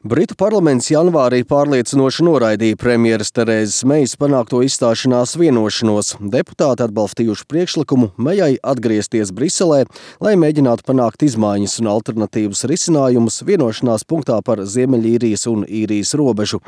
Britu parlaments janvārī pārliecinoši noraidīja premjeras Terēzes Mejas panākto izstāšanās vienošanos. Deputāti atbalstījuši priekšlikumu Mejai atgriezties Briselē, lai mēģinātu panākt izmaiņas un alternatīvas risinājumus vienošanās punktā par Ziemeļīrijas un Īrijas robežu.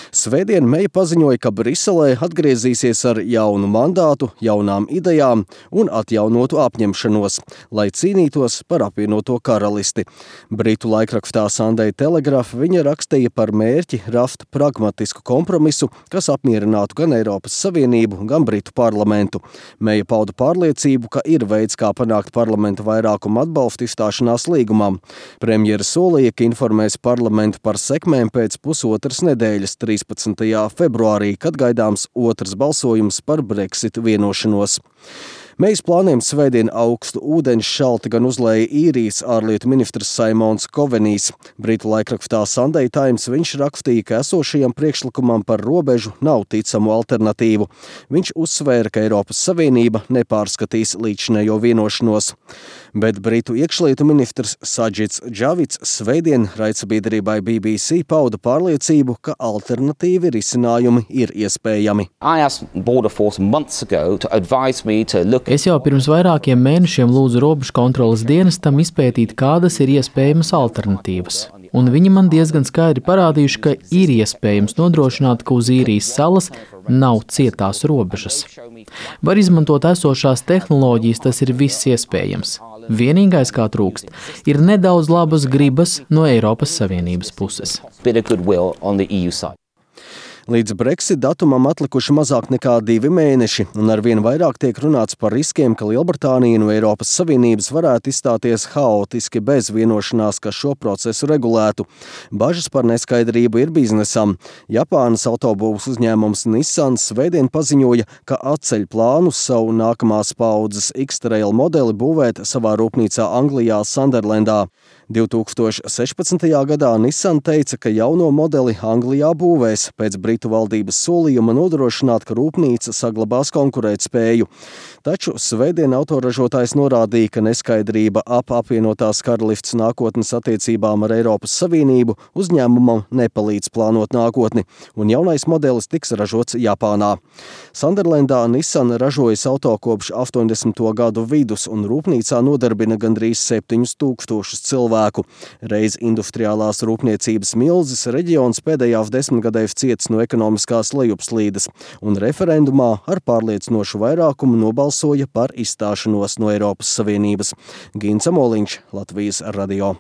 Svētdien Meja paziņoja, ka Briselē atgriezīsies ar jaunu mandātu, jaunām idejām un atjaunotu apņemšanos, lai cīnītos par apvienoto karalisti. Britu laikrakstā Sunday Telegraph viņa rakstīja par mērķi rast pragmatisku kompromisu, kas apmierinātu gan Eiropas Savienību, gan Britu parlamentu. Meja pauda pārliecību, ka ir veids, kā panākt parlamenta vairākumu atbalstu izstāšanās līgumam. Premjera solīja, ka informēs parlamentu par sekmēm pēc pusotras nedēļas 13. februārī, kad gaidāms otrs balsojums par Brexit vienošanos. Mejas plāniem svētdien augstu ūdeņš šalti gan uzlēja Īrijas ārlietu ministrs Simons Covenijs. Britu laikrakstā Sunday Times viņš rakstīja, ka esošajam priekšlikumam par robežu nav ticamu alternatīvu. Viņš uzsvēra, ka Eiropas Savienība nepārskatīs līdzinējo vienošanos. Bet Britu iekšlietu ministrs Sajits Džavids svētdien raidsabiedrībai BBC pauda pārliecību, ka alternatīvi risinājumi ir iespējami. Es jau pirms vairākiem mēnešiem lūdzu robežu kontroles dienestam izpētīt, kādas ir iespējamas alternatīvas. Un viņi man diezgan skaidri parādījuši, ka ir iespējams nodrošināt, ka uz Īrijas salas nav cietās robežas. Var izmantot esošās tehnoloģijas, tas ir viss iespējams. Vienīgais, kā trūkst, ir nedaudz labas gribas no Eiropas Savienības puses. Līdz Brexit datumam atlikuši mazāk nekā 2 mēneši, un arvien vairāk tiek runāts par riskiem, ka Lielbritānija no Eiropas Savienības varētu izstāties haotiski bez vienošanās, kas šo procesu regulētu. Bažas par neskaidrību ir biznesam. Japānas autobūvas uzņēmums Nissan svētdien paziņoja, ka atceļ plānus savu nākamās paaudzes X-Trail modeli būvēt savā rūpnīcā Anglijā Sunderlandā. 2016. gadā Nissan teica, ka jauno modeli Anglijā būvēs pēc Britu valdības solījuma nodrošināt, ka rūpnīca saglabās konkurētspēju. Taču svētdien autoražotājs norādīja, ka neskaidrība ap apvienotās karalistes nākotnes attiecībām ar Eiropas Savienību uzņēmumam nepalīdz plānot nākotni, un jaunais modelis tiks ražots Japānā. Sunderlandā Nissan ražojas auto kopš 80. gadu vidus, un rūpnīcā nodarbina gandrīz 7000 cilvēku. Reiz industriālās rūpniecības milzis reģions pēdējās 10 gadēs ciets no ekonomiskās lejupslīdes, un referendumā ar pārliecinošu vairākumu nobalsoja par izstāšanos no Eiropas Savienības. Gins Amoliņš, Latvijas radio.